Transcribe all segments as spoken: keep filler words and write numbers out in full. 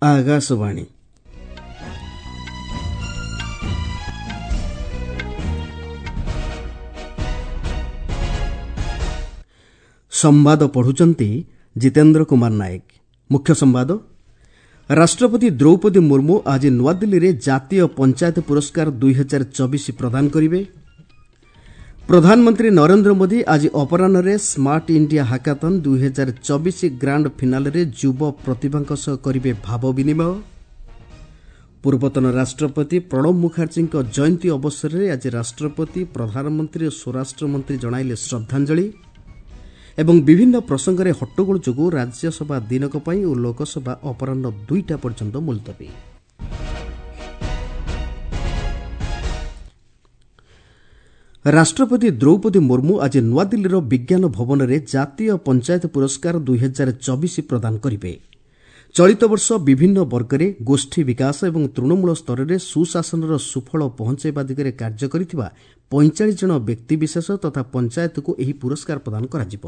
ଆକାଶବାଣୀ। ସମ୍ବାଦ ପଢୁଛନ୍ତି ଜିତେନ୍ଦ୍ର କୁମାର ନାୟକ। ମୁଖ୍ୟ ସମ୍ବାଦ। ରାଷ୍ଟ୍ରପତି ଦ୍ରୌପଦୀ ମୁର୍ମୁ ଆଜି ନୂଆଦିଲ୍ଲୀରେ ଜାତୀୟ ପଞ୍ଚାୟତ ପୁରସ୍କାର ଦୁଇ ହଜାର ଚବିଶ ପ୍ରଦାନ କରିବେ। ପ୍ରଧାନମନ୍ତ୍ରୀ ନରେନ୍ଦ୍ର ମୋଦି ଆଜି ଅପରାହ୍ନରେ ସ୍ମାର୍ଟ ଇଣ୍ଡିଆ ହାକାଥନ୍ ଦୁଇ ହଜାର ଚବିଶ ଗ୍ରାଣ୍ଡ ଫିନାଲେରେ ଯୁବ ପ୍ରତିଭାଙ୍କ ସହ କରିବେ ଭାବ ବିନିମୟ। ପୂର୍ବତନ ରାଷ୍ଟ୍ରପତି ପ୍ରଣବ ମୁଖାର୍ଜୀଙ୍କ ଜୟନ୍ତୀ ଅବସରରେ ଆଜି ରାଷ୍ଟ୍ରପତି, ପ୍ରଧାନମନ୍ତ୍ରୀ ଓ ସ୍ୱରାଷ୍ଟ୍ରମନ୍ତ୍ରୀ ଜଣାଇଲେ ଶ୍ରଦ୍ଧାଞ୍ଜଳି। ଏବଂ ବିଭିନ୍ନ ପ୍ରସଙ୍ଗରେ ହଟ୍ଟଗୋଳ ଯୋଗୁଁ ରାଜ୍ୟସଭା ଦିନକ ପାଇଁ ଓ ଲୋକସଭା ଅପରାହ୍ନ ଦୁଇଟା ପର୍ଯ୍ୟନ୍ତ ମୁଲତବୀ। ରାଷ୍ଟ୍ରପତି ଦ୍ରୌପଦୀ ମୁର୍ମୁ ଆଜି ନୂଆଦିଲ୍ଲୀର ବିଜ୍ଞାନ ଭବନରେ ଜାତୀୟ ପଞ୍ଚାୟତ ପୁରସ୍କାର ଦୁଇ ହଜାର ଚବିଶ ପ୍ରଦାନ କରିବେ। ଚଳିତ ବର୍ଷ ବିଭିନ୍ନ ବର୍ଗରେ ଗୋଷ୍ଠୀ ବିକାଶ ଏବଂ ତୃଣମୂଳ ସ୍ତରରେ ସୁଶାସନର ସୁଫଳ ପହଞ୍ଚାଇବା ଦିଗରେ କାର୍ଯ୍ୟ କରିଥିବା ପଇଁଚାଳିଶ ଜଣ ବ୍ୟକ୍ତିବିଶେଷ ତଥା ପଞ୍ଚାୟତକୁ ଏହି ପୁରସ୍କାର ପ୍ରଦାନ କରାଯିବ।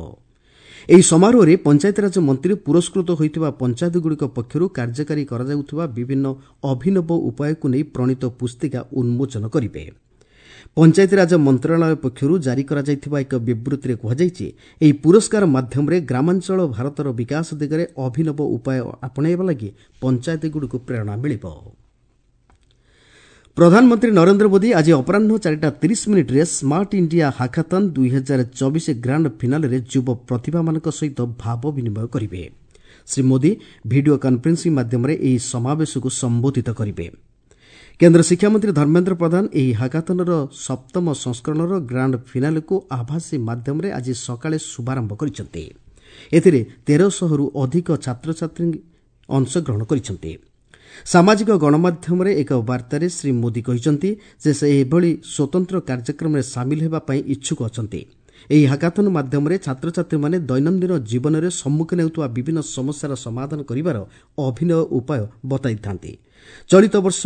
ଏହି ସମାରୋହରେ ପଞ୍ଚାୟତିରାଜ ମନ୍ତ୍ରୀ ପୁରସ୍କୃତ ହୋଇଥିବା ପଞ୍ଚାୟତଗୁଡ଼ିକ ପକ୍ଷରୁ କାର୍ଯ୍ୟକାରୀ କରାଯାଉଥିବା ବିଭିନ୍ନ ଅଭିନବ ଉପାୟକୁ ନେଇ ପ୍ରଣୀତ ପୁସ୍ତିକା ଉନ୍ମୋଚନ କରିବେ। ପଞ୍ଚାୟତିରାଜ ମନ୍ତ୍ରଣାଳୟ ପକ୍ଷରୁ ଜାରି କରାଯାଇଥିବା ଏକ ବିବୃତ୍ତିରେ କୁହାଯାଇଛି, ଏହି ପୁରସ୍କାର ମାଧ୍ୟମରେ ଗ୍ରାମାଞ୍ଚଳ ଭାରତର ବିକାଶ ଦିଗରେ ଅଭିନବ ଉପାୟ ଆପଣେଇବା ଲାଗି ପଞ୍ଚାୟତଗୁଡ଼ିକୁ ପ୍ରେରଣା ମିଳିବ। ପ୍ରଧାନମନ୍ତ୍ରୀ ନରେନ୍ଦ୍ର ମୋଦି ଆଜି ଅପରାହ୍ନ ଚାରିଟା ତିରିଶ ମିନିଟ୍ରେ ସ୍ମାର୍ଟ ଇଣ୍ଡିଆ ହାକାଥନ୍ ଦୁଇ ହଜାର ଚବିଶ ଗ୍ରାଣ୍ଡ ଫିନାଲେରେ ଯୁବ ପ୍ରତିଭାମାନଙ୍କ ସହିତ ଭାବ ବିନିମୟ କରିବେ। ଶ୍ରୀ ମୋଦି ଭିଡିଓ କନ୍ଫରେନ୍ସିଂ ମାଧ୍ୟମରେ ଏହି ସମାବେଶକୁ ସମ୍ବୋଧିତ କରିବେ। କେନ୍ଦ୍ର ଶିକ୍ଷାମନ୍ତ୍ରୀ ଧର୍ମେନ୍ଦ୍ର ପ୍ରଧାନ ଏହି ହାକାଥନର ସପ୍ତମ ସଂସ୍କରଣର ଗ୍ରାଣ୍ଡ ଫିନାଲେକୁ ଆଭାସୀ ମାଧ୍ୟମରେ ଆଜି ସକାଳେ ଶୁଭାରମ୍ଭ କରିଛନ୍ତି। ଏଥିରେ ତେରଶହରୁ ଅଧିକ ଛାତ୍ରଛାତ୍ରୀ ଅଂଶଗ୍ରହଣ କରିଛନ୍ତି। ସାମାଜିକ ଗଣମାଧ୍ୟମରେ ଏକ ବାର୍ତ୍ତାରେ ଶ୍ରୀ ମୋଦି କହିଛନ୍ତି ଯେ ସେ ଏଭଳି ସ୍ୱତନ୍ତ୍ର କାର୍ଯ୍ୟକ୍ରମରେ ସାମିଲ ହେବା ପାଇଁ ଇଚ୍ଛୁକ ଅଛନ୍ତି। ଏହି ହାକାଥନ ମାଧ୍ୟମରେ ଛାତ୍ରଛାତ୍ରୀମାନେ ଦୈନନ୍ଦିନ ଜୀବନରେ ସମ୍ମୁଖୀନ ହେଉଥିବା ବିଭିନ୍ନ ସମସ୍ୟାର ସମାଧାନ କରିବାର ଅଭିନବ ଉପାୟ ବତାଇଥାନ୍ତି। ଚଳିତ ବର୍ଷ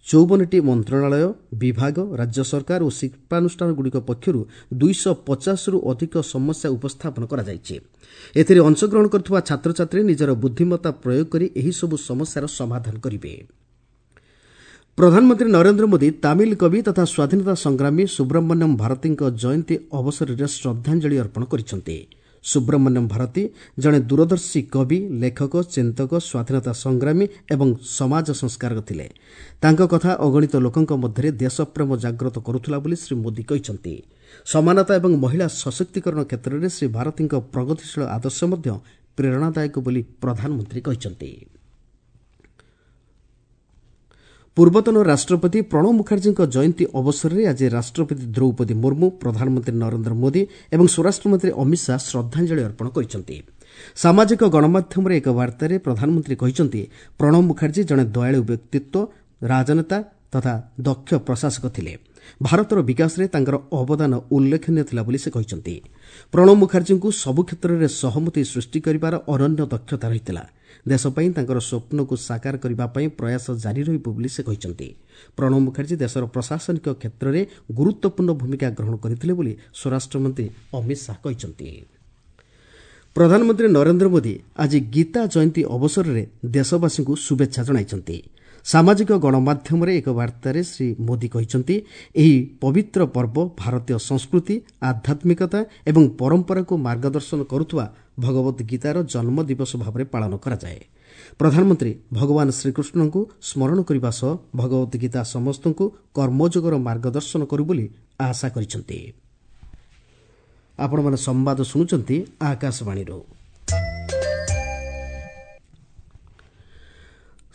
ଚଉବନଟି ମନ୍ତ୍ରଣାଳୟ, ବିଭାଗ, ରାଜ୍ୟ ସରକାର ଓ ଶିଳ୍ପାନୁଷ୍ଠାନଗୁଡ଼ିକ ପକ୍ଷରୁ ଦୁଇଶହ ପଚାଶରୁ ଅଧିକ ସମସ୍ୟା ଉପସ୍ଥାପନ କରାଯାଇଛି। ଏଥିରେ ଅଂଶଗ୍ରହଣ କରୁଥିବା ଛାତ୍ରଛାତ୍ରୀ ନିଜର ବୁଦ୍ଧିମତ୍ତା ପ୍ରୟୋଗ କରି ଏହିସବୁ ସମସ୍ୟାର ସମାଧାନ କରିବେ। ପ୍ରଧାନମନ୍ତ୍ରୀ ନରେନ୍ଦ୍ର ମୋଦି ତାମିଲ କବି ତଥା ସ୍ୱାଧୀନତା ସଂଗ୍ରାମୀ ସୁବ୍ରମଣ୍ୟମ ଭାରତୀଙ୍କ ଜୟନ୍ତୀ ଅବସରରେ ଶ୍ରଦ୍ଧାଞ୍ଜଳି ଅର୍ପଣ କରିଛନ୍ତି। ସୁବ୍ରମଣ୍ୟମ ଭାରତୀ ଜଣେ ଦୂରଦର୍ଶୀ କବି, ଲେଖକ, ଚିନ୍ତକ, ସ୍ୱାଧୀନତା ସଂଗ୍ରାମୀ ଏବଂ ସମାଜ ସଂସ୍କାରକ ଥିଲେ। ତାଙ୍କ କଥା ଅଗଣିତ ଲୋକଙ୍କ ମଧ୍ୟରେ ଦେଶପ୍ରେମ ଜାଗ୍ରତ କରୁଥିଲା ବୋଲି ଶ୍ରୀ ମୋଦି କହିଛନ୍ତି। ସମାନତା ଏବଂ ମହିଳା ସଶକ୍ତିକରଣ କ୍ଷେତ୍ରରେ ଶ୍ରୀ ଭାରତୀଙ୍କ ପ୍ରଗତିଶୀଳ ଆଦର୍ଶ ମଧ୍ୟ ପ୍ରେରଣାଦାୟକ ବୋଲି ପ୍ରଧାନମନ୍ତ୍ରୀ କହିଛନ୍ତି। ପୂର୍ବତନ ରାଷ୍ଟ୍ରପତି ପ୍ରଣବ ମୁଖାର୍ଜୀଙ୍କ ଜୟନ୍ତୀ ଅବସରରେ ଆଜି ରାଷ୍ଟ୍ରପତି ଦ୍ରୌପଦୀ ମୁର୍ମୁ, ପ୍ରଧାନମନ୍ତ୍ରୀ ନରେନ୍ଦ୍ର ମୋଦି ଏବଂ ସ୍ୱରାଷ୍ଟ୍ରମନ୍ତ୍ରୀ ଅମିତ ଶାହା ଶ୍ରଦ୍ଧାଞ୍ଜଳି ଅର୍ପଣ କରିଛନ୍ତି। ସାମାଜିକ ଗଣମାଧ୍ୟମରେ ଏକ ବାର୍ତ୍ତାରେ ପ୍ରଧାନମନ୍ତ୍ରୀ କହିଛନ୍ତି, ପ୍ରଣବ ମୁଖାର୍ଜୀ ଜଣେ ଦୟାଳୁ ବ୍ୟକ୍ତିତ୍ୱ, ରାଜନେତା ତଥା ଦକ୍ଷ ପ୍ରଶାସକ ଥିଲେ। ଭାରତର ବିକାଶରେ ତାଙ୍କର ଅବଦାନ ଉଲ୍ଲେଖନୀୟ ଥିଲା ବୋଲି ସେ କହିଛନ୍ତି। ପ୍ରଣବ ମୁଖାର୍ଜୀଙ୍କୁ ସବୁ କ୍ଷେତ୍ରରେ ସହମତି ସୃଷ୍ଟି କରିବାର ଅନନ୍ୟ ଦକ୍ଷତା ରହିଥିଲା। ଦେଶ ପାଇଁ ତାଙ୍କର ସ୍ୱପ୍ନକୁ ସାକାର କରିବା ପାଇଁ ପ୍ରୟାସ ଜାରି ରହିବ ବୋଲି ସେ କହିଛନ୍ତି। ପ୍ରଣବ ମୁଖାର୍ଜୀ ଦେଶର ପ୍ରଶାସନିକ କ୍ଷେତ୍ରରେ ଗୁରୁତ୍ୱପୂର୍ଣ୍ଣ ଭୂମିକା ଗ୍ରହଣ କରିଥିଲେ ବୋଲି ସ୍ୱରାଷ୍ଟ୍ରମନ୍ତ୍ରୀ ଅମିତ ଶାହା କହିଛନ୍ତି। ପ୍ରଧାନମନ୍ତ୍ରୀ ନରେନ୍ଦ୍ର ମୋଦି ଆଜି ଗୀତା ଜୟନ୍ତୀ ଅବସରରେ ଦେଶବାସୀଙ୍କୁ ଶୁଭେଚ୍ଛା ଜଣାଇଛନ୍ତି। ସାମାଜିକ ଗଣମାଧ୍ୟମରେ ଏକ ବାର୍ତ୍ତାରେ ଶ୍ରୀ ମୋଦି କହିଛନ୍ତି, ଏହି ପବିତ୍ର ପର୍ବ ଭାରତୀୟ ସଂସ୍କୃତି, ଆଧ୍ୟାତ୍ମିକତା ଏବଂ ପରମ୍ପରାକୁ ମାର୍ଗଦର୍ଶନ କରୁଥିବା ଭଗବତ ଗୀତାର ଜନ୍ମ ଦିବସ ଭାବରେ ପାଳନ କରାଯାଏ। ପ୍ରଧାନମନ୍ତ୍ରୀ ଭଗବାନ ଶ୍ରୀକୃଷ୍ଣଙ୍କୁ ସ୍ମରଣ କରିବା ସହ ଭଗବତ ଗୀତା ସମସ୍ତଙ୍କୁ କର୍ମଯୋଗର ମାର୍ଗଦର୍ଶନ କରୁ ବୋଲି ଆଶା କରିଛନ୍ତି। ଆପଣମାନେ ସମ୍ବାଦ ଶୁଣୁଛନ୍ତି ଆକାଶବାଣୀରୁ।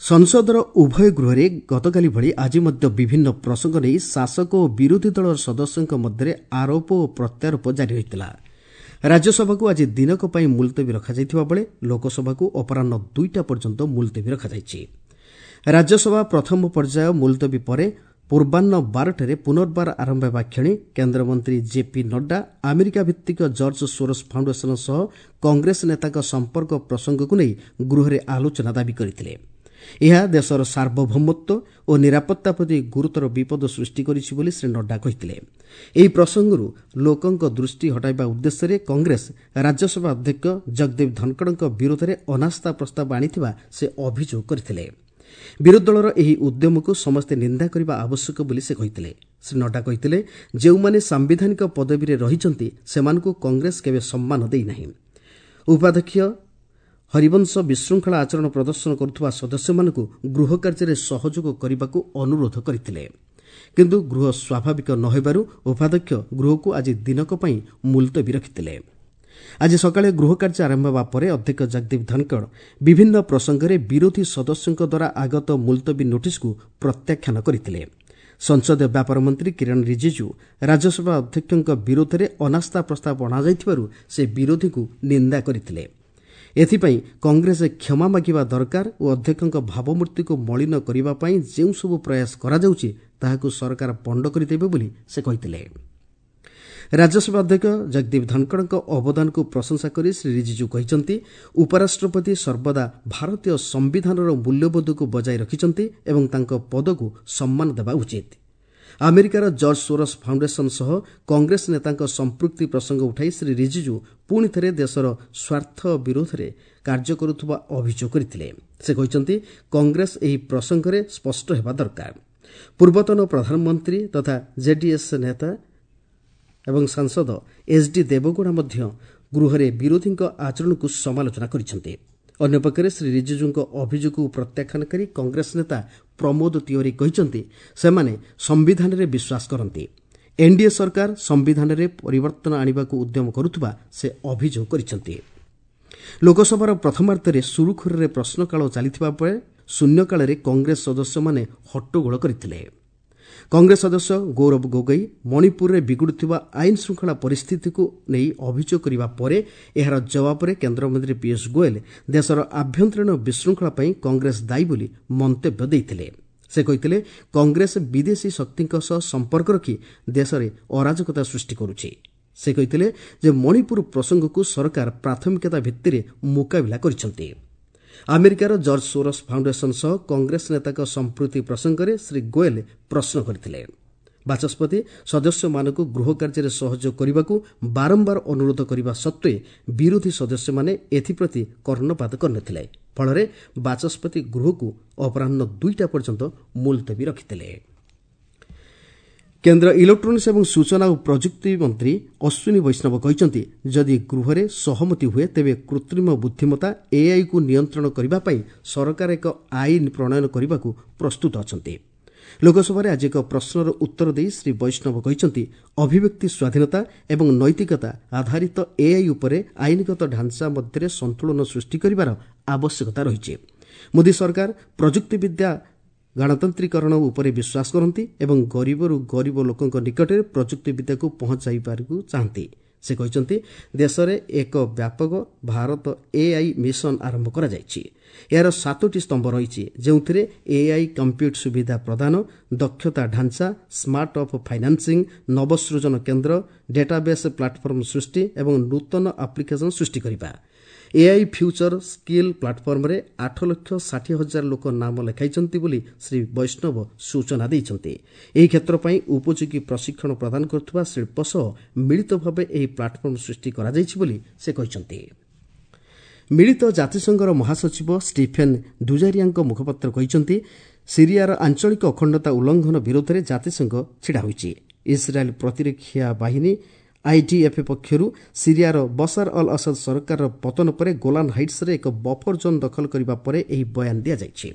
ସଂସଦର ଉଭୟ ଗୃହରେ ଗତକାଲି ଭଳି ଆଜି ମଧ୍ୟ ବିଭିନ୍ନ ପ୍ରସଙ୍ଗ ନେଇ ଶାସକ ଓ ବିରୋଧୀ ଦଳର ସଦସ୍ୟଙ୍କ ମଧ୍ୟରେ ଆରୋପ ଓ ପ୍ରତ୍ୟାରୋପ ଜାରି ରହିଥିଲା। ରାଜ୍ୟସଭାକୁ ଆଜି ଦିନକ ପାଇଁ ମୁଲତବୀ ରଖାଯାଇଥିବା ବେଳେ ଲୋକସଭାକୁ ଅପରାହ୍ନ ଦୁଇଟା ପର୍ଯ୍ୟନ୍ତ ମୁଲତବୀ ରଖାଯାଇଛି। ରାଜ୍ୟସଭା ପ୍ରଥମ ପର୍ଯ୍ୟାୟ ମୁଲତବୀ ପରେ ପୂର୍ବାହ୍ନ ବାରଟାରେ ପୁନର୍ବାର ଆରମ୍ଭ ହେବା କ୍ଷଣି କେନ୍ଦ୍ରମନ୍ତ୍ରୀ ଜେପି ନଡ୍ଡା ଆମେରିକା ଭିତ୍ତିକ ଜର୍ଜ ସୋରସ୍ ଫାଉଣ୍ଡେସନ ସହ କଂଗ୍ରେସ ନେତାଙ୍କ ସମ୍ପର୍କ ପ୍ରସଙ୍ଗକୁ ନେଇ ଗୃହରେ ଆଲୋଚନା ଦାବି କରିଥିଲେ। ଏହା ଦେଶର ସାର୍ବଭୌମତ୍ୱ ଓ ନିରାପତ୍ତା ପ୍ରତି ଗୁରୁତର ବିପଦ ସୃଷ୍ଟି କରିଛି ବୋଲି ଶ୍ରୀ ନଡ୍ଡା କହିଥିଲେ। ଏହି ପ୍ରସଙ୍ଗରୁ ଲୋକଙ୍କ ଦୃଷ୍ଟି ହଟାଇବା ଉଦ୍ଦେଶ୍ୟରେ କଂଗ୍ରେସ ରାଜ୍ୟସଭା ଅଧ୍ୟକ୍ଷ ଜଗଦୀପ ଧନଖଡ଼ଙ୍କ ବିରୋଧରେ ଅନାସ୍ଥା ପ୍ରସ୍ତାବ ଆଣିଥିବା ସେ ଅଭିଯୋଗ କରିଥିଲେ। ବିରୋଧୀ ଦଳର ଏହି ଉଦ୍ୟମକୁ ସମସ୍ତେ ନିନ୍ଦା କରିବା ଆବଶ୍ୟକ ବୋଲି ସେ କହିଥିଲେ। ଶ୍ରୀ ନଡ୍ଡା କହିଥିଲେ, ଯେଉଁମାନେ ସାମ୍ବିଧାନିକ ପଦବୀରେ ରହିଛନ୍ତି ସେମାନଙ୍କୁ କଂଗ୍ରେସ କେବେ ସମ୍ମାନ ଦେଇନାହିଁ। ଉପାଧ୍ୟକ୍ଷ ହରିବଂଶ ବିଶୃଙ୍ଖଳା ଆଚରଣ ପ୍ରଦର୍ଶନ କରୁଥିବା ସଦସ୍ୟମାନଙ୍କୁ ଗୃହ କାର୍ଯ୍ୟରେ ସହଯୋଗ କରିବାକୁ ଅନୁରୋଧ କରିଥିଲେ। କିନ୍ତୁ ଗୃହ ସ୍ୱାଭାବିକ ନ ହେବାରୁ ଉପାଧ୍ୟକ୍ଷ ଗୃହକୁ ଆଜି ଦିନକ ପାଇଁ ମୁଲତବୀ ରଖିଥିଲେ। ଆଜି ସକାଳେ ଗୃହ କାର୍ଯ୍ୟ ଆରମ୍ଭ ହେବା ପରେ ଅଧ୍ୟକ୍ଷ ଜଗଦୀପ ଧନଖଡ଼ ବିଭିନ୍ନ ପ୍ରସଙ୍ଗରେ ବିରୋଧୀ ସଦସ୍ୟଙ୍କ ଦ୍ୱାରା ଆଗତ ମୁଲତବୀ ନୋଟିସ୍କୁ ପ୍ରତ୍ୟାଖ୍ୟାନ କରିଥିଲେ। ସଂସଦୀୟ ବ୍ୟାପାର ମନ୍ତ୍ରୀ କିରଣ ରିଜିଜୁ ରାଜ୍ୟସଭା ଅଧ୍ୟକ୍ଷଙ୍କ ବିରୋଧରେ ଅନାସ୍ଥା ପ୍ରସ୍ତାବ ଅଣାଯାଇଥିବାରୁ ସେ ବିରୋଧୀଙ୍କୁ ନିନ୍ଦା କରିଥିଲେ। ଏଥିପାଇଁ କଂଗ୍ରେସ କ୍ଷମା ମାଗିବା ଦରକାର ଓ ଅଧ୍ୟକ୍ଷଙ୍କ ଭାବମୂର୍ତ୍ତିକୁ ମଳିନ କରିବା ପାଇଁ ଯେଉଁସବୁ ପ୍ରୟାସ କରାଯାଉଛି ତାହାକୁ ସରକାର ପଣ୍ଡ କରିଦେବେ ବୋଲି ସେ କହିଥିଲେ। ରାଜ୍ୟସଭା ଅଧ୍ୟକ୍ଷ ଜଗଦୀପ ଧନଖଡ଼ଙ୍କ ଅବଦାନକୁ ପ୍ରଶଂସା କରି ଶ୍ରୀ ରିଜିଜୁ କହିଛନ୍ତି, ଉପରାଷ୍ଟ୍ରପତି ସର୍ବଦା ଭାରତୀୟ ସମ୍ବିଧାନର ମୂଲ୍ୟବୋଧକୁ ବଜାୟ ରଖିଛନ୍ତି ଏବଂ ତାଙ୍କ ପଦକୁ ସମ୍ମାନ ଦେବା ଉଚିତ। ଆମେରିକାର ଜର୍ଜ ସୋରସ୍ ଫାଉଣ୍ଡେସନ ସହ କଂଗ୍ରେସ ନେତାଙ୍କ ସମ୍ପୃକ୍ତି ପ୍ରସଙ୍ଗ ଉଠାଇ ଶ୍ରୀ ରିଜିଜୁ ପୁଣି ଥରେ ଦେଶର ସ୍ୱାର୍ଥ ବିରୋଧରେ କାର୍ଯ୍ୟ କରୁଥିବା ଅଭିଯୋଗ କରିଥିଲେ। ସେ କହିଛନ୍ତି, କଂଗ୍ରେସ ଏହି ପ୍ରସଙ୍ଗରେ ସ୍ପଷ୍ଟ ହେବା ଦରକାର। ପୂର୍ବତନ ପ୍ରଧାନମନ୍ତ୍ରୀ ତଥା ଜେଡିଏସ୍ ନେତା ଏବଂ ସାଂସଦ ଏଚ୍ ଡି ଦେବଗୌଡ଼ା ମଧ୍ୟ ଗୃହରେ ବିରୋଧୀଙ୍କ ଆଚରଣକୁ ସମାଲୋଚନା କରିଛନ୍ତି। ଅନ୍ୟପକ୍ଷରେ ଶ୍ରୀ ରିଜିଜୁଙ୍କ ଅଭିଯୋଗକୁ ପ୍ରତ୍ୟାଖ୍ୟାନ କରି କଂଗ୍ରେସ ନେତା ପ୍ରମୋଦ ତିଓ୍ୱାରୀ କହିଛନ୍ତି, ସେମାନେ ସମ୍ବିଧାନରେ ବିଶ୍ୱାସ କରନ୍ତି। ଏନ୍ଡିଏ ସରକାର ସମ୍ବିଧାନରେ ପରିବର୍ତ୍ତନ ଆଣିବାକୁ ଉଦ୍ୟମ କରୁଥିବା ସେ ଅଭିଯୋଗ କରିଛନ୍ତି। ଲୋକସଭାର ପ୍ରଥମାର୍ଦ୍ଧରେ ସୁରୁଖୁରୁରେ ପ୍ରଶ୍ନକାଳ ଚାଲିଥିବା ବେଳେ ଶୂନ୍ୟକାଳରେ କଂଗ୍ରେସ ସଦସ୍ୟମାନେ ହଟ୍ଟଗୋଳ କରିଥିଲେ। କଂଗ୍ରେସ ସଦସ୍ୟ ଗୌରବ ଗୋଗୋଇ ମଣିପୁରରେ ବିଗୁଡ଼ୁଥିବା ଆଇନ ଶୃଙ୍ଖଳା ପରିସ୍ଥିତିକୁ ନେଇ ଅଭିଯୋଗ କରିବା ପରେ ଏହାର ଜବାବରେ କେନ୍ଦ୍ରମନ୍ତ୍ରୀ ପୀୟୁଷ ଗୋଏଲ ଦେଶର ଆଭ୍ୟନ୍ତରୀଣ ବିଶୃଙ୍ଖଳା ପାଇଁ କଂଗ୍ରେସ ଦାୟୀ ବୋଲି ମନ୍ତବ୍ୟ ଦେଇଥିଲେ। ସେ କହିଥିଲେ, କଂଗ୍ରେସ ବିଦେଶୀ ଶକ୍ତିଙ୍କ ସହ ସମ୍ପର୍କ ରଖି ଦେଶରେ ଅରାଜକତା ସୃଷ୍ଟି କରୁଛି। ସେ କହିଥିଲେ ଯେ ମଣିପୁର ପ୍ରସଙ୍ଗକୁ ସରକାର ପ୍ରାଥମିକତା ଭିତ୍ତିରେ ମୁକାବିଲା କରିଛନ୍ତି। ଆମେରିକାର ଜର୍ଜ ସୋରସ୍ ଫାଉଣ୍ଡେସନ ସହ କଂଗ୍ରେସ ନେତାଙ୍କ ସମ୍ପୃକ୍ତି ପ୍ରସଙ୍ଗରେ ଶ୍ରୀ ଗୋଏଲ ପ୍ରଶ୍ନ କରିଥିଲେ। ବାଚସ୍ପତି ସଦସ୍ୟମାନଙ୍କୁ ଗୃହ କାର୍ଯ୍ୟରେ ସହଯୋଗ କରିବାକୁ ବାରମ୍ବାର ଅନୁରୋଧ କରିବା ସତ୍ତ୍ୱେ ବିରୋଧୀ ସଦସ୍ୟମାନେ ଏଥିପ୍ରତି କର୍ଣ୍ଣପାତ କରିନଥିଲେ। ଫଳରେ ବାଚସ୍ପତି ଗୃହକୁ ଅପରାହ୍ନ ଦୁଇଟା ପର୍ଯ୍ୟନ୍ତ ମୁଲତବୀ ରଖିଥିଲେ। କେନ୍ଦ୍ର ଇଲେକ୍ଟ୍ରୋନିକ୍ସ ଏବଂ ସୂଚନା ଓ ପ୍ରଯୁକ୍ତି ମନ୍ତ୍ରୀ ଅଶ୍ୱିନୀ ବୈଷ୍ଣବ କହିଛନ୍ତି, ଯଦି ଗୃହରେ ସହମତି ହୁଏ ତେବେ କୃତ୍ରିମ ବୁଦ୍ଧିମତ୍ତା ଏଆଇକୁ ନିୟନ୍ତ୍ରଣ କରିବା ପାଇଁ ସରକାର ଏକ ଆଇନ ପ୍ରଣୟନ କରିବାକୁ ପ୍ରସ୍ତୁତ ଅଛନ୍ତି। ଲୋକସଭାରେ ଆଜି ଏକ ପ୍ରଶ୍ନର ଉତ୍ତର ଦେଇ ଶ୍ରୀ ବୈଷ୍ଣବ କହିଛନ୍ତି, ଅଭିବ୍ୟକ୍ତି ସ୍ୱାଧୀନତା ଏବଂ ନୈତିକତା ଆଧାରିତ ଏଆଇ ଉପରେ ଆଇନଗତ ଢାଞ୍ଚା ମଧ୍ୟରେ ସନ୍ତୁଳନ ସୃଷ୍ଟି କରିବାର ଆବଶ୍ୟକତା ରହିଛି। ମୋଦି ସରକାର ପ୍ରଯୁକ୍ତିବିଦ୍ୟା ଗଣତାନ୍ତ୍ରିକରଣ ଉପରେ ବିଶ୍ୱାସ କରନ୍ତି ଏବଂ ଗରିବରୁ ଗରିବ ଲୋକଙ୍କ ନିକଟରେ ପ୍ରଯୁକ୍ତିବିଦ୍ୟାକୁ ପହଞ୍ଚାଇବାକୁ ଚାହାନ୍ତି। ସେ କହିଛନ୍ତି, ଦେଶରେ ଏକ ବ୍ୟାପକ ଭାରତ ଏଆଇ ମିଶନ ଆରମ୍ଭ କରାଯାଇଛି। ଏହାର ସାତୋଟି ସ୍ତମ୍ଭ ରହିଛି, ଯେଉଁଥିରେ ଏଆଇ କମ୍ପ୍ୟୁଟ ସୁବିଧା ପ୍ରଦାନ, ଦକ୍ଷତା ଢାଞ୍ଚା, ସ୍ମାର୍ଟ ଅପ୍ ଫାଇନାନ୍ସିଂ, ନବସୃଜନ କେନ୍ଦ୍ର, ଡେଟାବେସ୍ ପ୍ଲାଟଫର୍ମ ସୃଷ୍ଟି ଏବଂ ନୂତନ ଆପ୍ଲିକେସନ ସୃଷ୍ଟି କରିବା। ଏଆଇ ଫ୍ୟୁଚର ସ୍କିଲ୍ ପ୍ଲାଟଫର୍ମରେ ଆଠ ଲକ୍ଷ ଷାଠିଏ ହଜାର ଲୋକ ନାମ ଲେଖାଇଛନ୍ତି ବୋଲି ଶ୍ରୀ ବୈଷ୍ଣବ ସୂଚନା ଦେଇଛନ୍ତି। ଏହି କ୍ଷେତ୍ର ପାଇଁ ଉପଯୋଗୀ ପ୍ରଶିକ୍ଷଣ ପ୍ରଦାନ କରୁଥିବା ଶିଳ୍ପ ସହ ମିଳିତ ଭାବେ ଏହି ପ୍ଲାଟଫର୍ମ ସୃଷ୍ଟି କରାଯାଇଛି ବୋଲି ସେ କହିଛନ୍ତି। ମିଳିତ ଜାତିସଂଘର ମହାସଚିବ ଷ୍ଟିଫେନ୍ ଦୁଜାରିଆଙ୍କ ମୁଖପାତ୍ର କହିଛନ୍ତି, ସିରିଆର ଆଞ୍ଚଳିକ ଅଖଣ୍ଡତା ଉଲ୍ଲଂଘନ ବିରୋଧରେ ଜାତିସଂଘ ଛିଡ଼ା ହୋଇଛି। ଇସ୍ରାଏଲ୍ ପ୍ରତିରକ୍ଷା ବାହିନୀ ଆଇଡିଏଫ୍ ପକ୍ଷରୁ ସିରିଆର ବସାର ଅଲ୍ ଅସଦ ସରକାରର ପତନ ପରେ ଗୋଲାନ୍ ହାଇଟ୍ସରେ ଏକ ବଫର ଜୋନ୍ ଦଖଲ କରିବା ପରେ ଏହି ବୟାନ ଦିଆଯାଇଛି।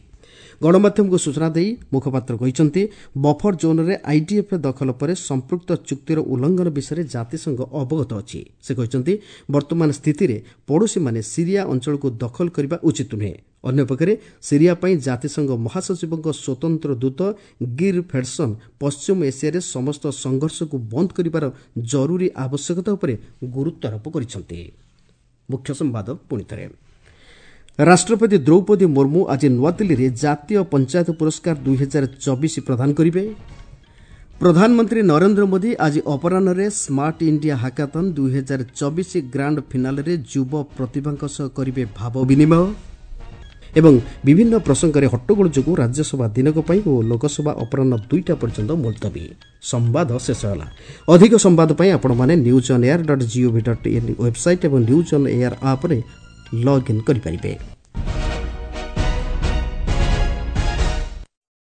ଗଣମାଧ୍ୟମକୁ ସୂଚନା ଦେଇ ମୁଖପାତ୍ର କହିଛନ୍ତି, ବଫର ଜୋନ୍ରେ ଆଇଡିଏଫ୍ ଦଖଲ ପରେ ସମ୍ପୃକ୍ତ ଚୁକ୍ତିର ଉଲ୍ଲଂଘନ ବିଷୟରେ ଜାତିସଂଘ ଅବଗତ ଅଛି। ସେ କହିଛନ୍ତି, ବର୍ତ୍ତମାନ ସ୍ଥିତିରେ ପଡ଼ୋଶୀମାନେ ସିରିଆ ଅଞ୍ଚଳକୁ ଦଖଲ କରିବା ଉଚିତ ନୁହେଁ। ଅନ୍ୟପକ୍ଷରେ ସିରିଆ ପାଇଁ ଜାତିସଂଘ ମହାସଚିବଙ୍କ ସ୍ୱତନ୍ତ୍ର ଦୂତ ଗିର୍ ଫେଡସନ୍ ପଶ୍ଚିମ ଏସିଆରେ ସମସ୍ତ ସଂଘର୍ଷକୁ ବନ୍ଦ କରିବାର ଜରୁରୀ ଆବଶ୍ୟକତା ଉପରେ ଗୁରୁତ୍ୱାରୋପ କରିଛନ୍ତି। ମୁଖ୍ୟ ସମ୍ବାଦ ପୁଣିଥରେ। ରାଷ୍ଟ୍ରପତି ଦ୍ରୌପଦୀ ମୁର୍ମୁ ଆଜି ନୂଆଦିଲ୍ଲୀରେ ଜାତୀୟ ପଞ୍ଚାୟତ ପୁରସ୍କାର ଦୁଇ ହଜାର ଚବିଶ ପ୍ରଦାନ କରିବେ। ପ୍ରଧାନମନ୍ତ୍ରୀ ନରେନ୍ଦ୍ର ମୋଦି ଆଜି ଅପରାହ୍ନରେ ସ୍ମାର୍ଟ ଇଣ୍ଡିଆ ହାକାଥନ୍ ଦୁଇ ହଜାର ଚବିଶ ଗ୍ରାଣ୍ଡ ଫିନାଲେରେ ଯୁବ ପ୍ରତିଭାଙ୍କ ସହ କରିବେ ଭାବ ବିନିମୟ। ଏବଂ ବିଭିନ୍ନ ପ୍ରସଙ୍ଗରେ ହଟ୍ଟଗୋଳ ଯୋଗୁଁ ରାଜ୍ୟସଭା ଦିନକ ପାଇଁ ଓ ଲୋକସଭା ଅପରାହ୍ନ ଦୁଇଟା ପର୍ଯ୍ୟନ୍ତ ମୁଲତବୀ। ସମ୍ବାଦ ଶେଷ ହେଲା। ଅଧିକ ସମ୍ବାଦ ପାଇଁ ଆପଣମାନେ news on air dot gov dot in website ଏବଂ ନ୍ୟୁଜ୍ ଅନ୍ ଏୟାର ଆପ୍ରେ ଲଗ୍ଇନ୍ କରିପାରିବେ।